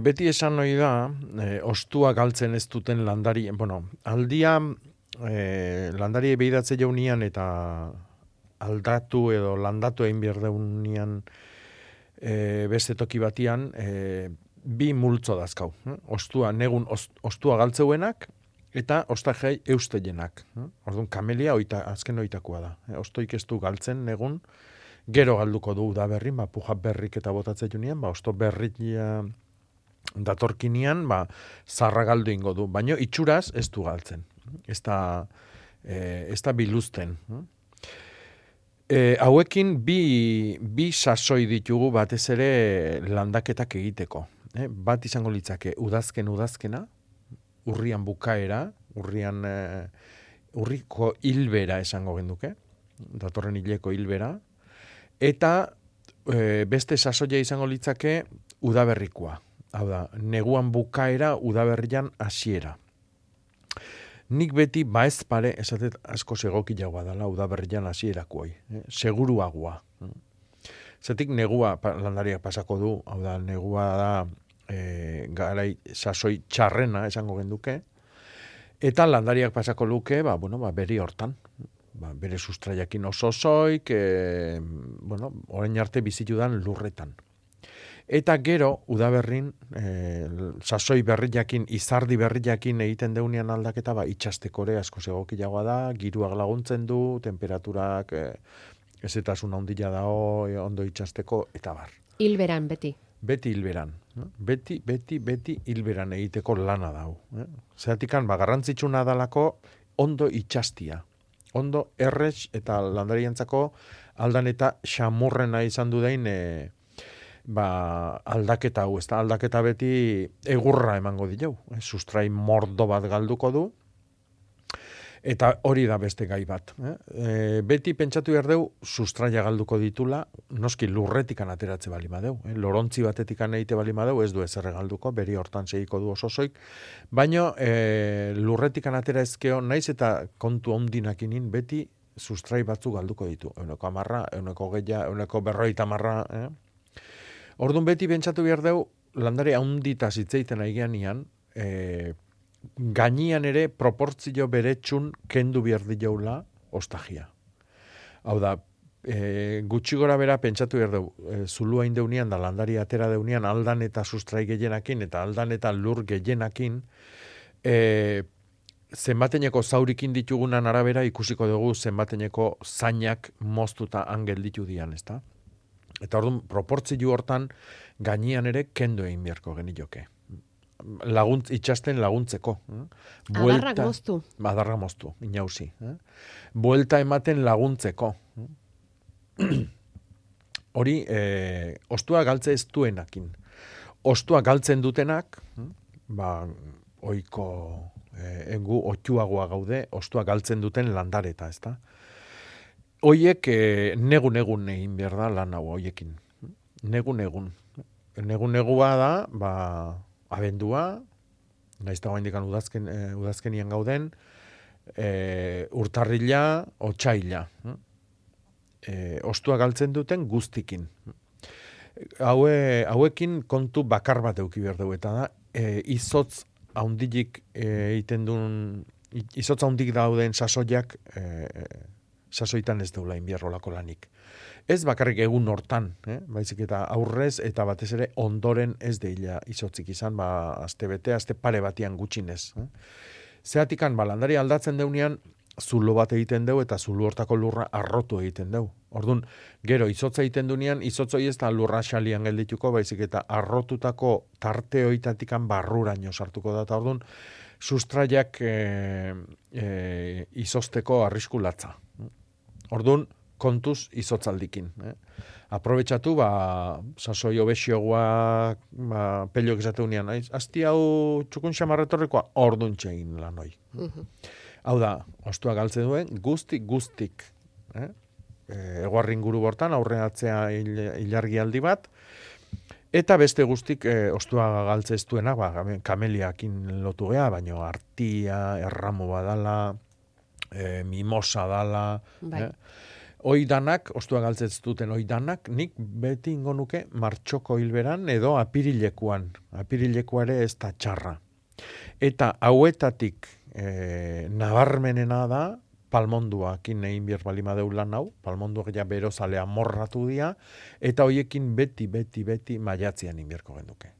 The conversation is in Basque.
Beti esan ohi da, ostua galtzen ez duten landari, aldia landari behiratze jaunian eta aldatu edo landatu egin behar daunian beste toki batian, bi multzo dazkau. Ostua, negun ostua galtzeuenak eta ostajai eusteienak. Orduan, kamelia azken oitakoa da. Ostoik ez du galtzen negun, gero galduko du udaberrin, puja berrik eta botatze junian, osto berrik datorkinian, zarra galdu ingo du. Baina itxuraz ez du galtzen. Ez da biluzten. Hauekin bi sasoi ditugu batez ere landaketak egiteko. Bat izango litzake udazkena, urrian bukaera, urriko hilbera esango genduke, datorren hileko hilbera, eta beste sasoia izango litzake udaberrikoa. Hau da, neguan bukaera, udaberrian hasiera. Nik beti baez pare, esatet asko segokiagoa dela udaberrian hasierakoai, seguruagoa. Zatik negua landariak pasako du, hau da, negua da garai sasoi txarrena esango genduke, eta landariak pasako luke, beri hortan. Bere sustraiakin oso soik, orain arte bizitudan lurretan. Eta gero, udaberrin, sasoi berriakin, izardi berriakin egiten deunean aldaketa, itxastekore asko segokiagoa da, giruak laguntzen du, temperaturak ezetasun handia dao, ondo itxasteko, eta bar. Hilberan, beti. Beti hilberan. Beti hilberan egiteko lana dau. Zeratikan, garrantzitsuna dalako ondo itxastia. Ondo errez eta landariantzako aldan eta xamurrena izan du dain aldaketa hau, aldaketa beti egurra emango dilau. Sustrai mordo bat galduko du, eta hori da beste gai bat. Beti pentsatu behar deu, sustraia galduko ditula, noski lurretikan ateratze bali madeu. Lorontzi batetikan egite bali madeu, ez du ezerre galduko, beri hortan segiko du osozoik, baina lurretikan atera ezkeo, naiz eta kontu ondinakinin beti sustrai batzu galduko ditu. Euneko 10, euneko 20, euneko 50. Orduan beti pentsatu behar deu, landare haunditaz hitzeiten aigeanian, gainian ere proportzio beretsun kendu behar diaula ostajia. Hau da, gutxi gora bera pentsatu behar dugu, zulua indeunian da landari atera deunean aldan eta sustrai gehienakin eta aldan eta lur gehienakin, zenbateneko zaurikin ditugunan arabera ikusiko dugu zenbateneko zainak moztuta angel ditu dian, ezta? Eta orduan, proportzio hortan gainian ere kendu egin beharko genioke. Itxasten laguntzeko. Adarrak moztu. Adarra moztu, inauzi. Buelta ematen laguntzeko. Hori, ostua galtze ez duenakin. Ostua galtzen dutenak, oiko engu otxuagoa gaude, ostua galtzen duten landareta, ezta? Hoiek negun egin behar da lan hau hoiekin. Negun. Negun-negua da, abendua, naizta goaindikan udazkenian gauden, urtarrila, otsaila. Ostua galtzen duten guztikin. Hauekin kontu bakar bat euki behar dugu, eta da, izotz haundik egiten duen, izotz haundik dauden sasoiak, sasoitan ez deula inbierrolako lanik. Ez bakarrik egun hortan, baizik eta aurrez eta batez ere ondoren ez deila izotzik izan, aste bete, aste pare batian gutxinez. Zeratikan, landari aldatzen deunean, zulo bat egiten deu eta zulo hortako lurra arrotu egiten deu. Orduan, gero izotza egiten duenean, izotzoi ez da lurra xalian geldituko, baizik eta arrotutako tarte hoitatikan barruraino sartuko da, eta orduan, sustraiak izozteko arriskulatza. Orduan, kontuz izotzaldikin. Aprobetxatu, sasoi obesioguak, peliok esateunean, asti hau txukun xamarretorrekoa, orduan txegin lan hoi. Hau da, ostua galtze duen, guztik. Eguarrin guru bortan, aurreatzea ilargialdi bat, eta beste guztik ostua galtze ez duena, kameliakin lotu gea, baina artia, erramo badala, mimosa dala, Oidanak, ostua galtzetz duten oidanak, nik beti ingo nuke martxoko hilberan edo apirilekuan. Apirilekua ere ez da txarra. Eta hauetatik nabarmenena da, palmonduakin egin behar balima deulan hau, palmonduak ja berozalea morratu dira, eta hoiekin beti maiatzean inbierko genduke.